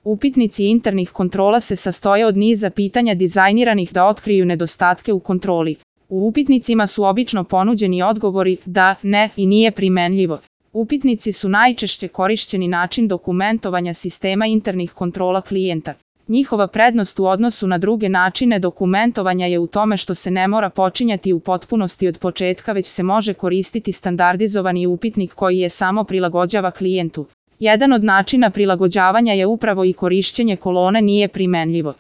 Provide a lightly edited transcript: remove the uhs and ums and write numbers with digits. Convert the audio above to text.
Upitnici internih kontrola se sastoje od niza pitanja dizajniranih da otkriju nedostatke u kontroli. U upitnicima su obično ponuđeni odgovori da, ne i nije primenljivo. Upitnici su najčešće korišćeni način dokumentovanja sistema internih kontrola klijenta. Njihova prednost u odnosu na druge načine dokumentovanja je u tome što se ne mora počinjati u potpunosti od početka, već se može koristiti standardizovani upitnik koji je samo prilagođava klijentu. Jedan od načina prilagođavanja je upravo i korišćenje kolone nije primenljivo.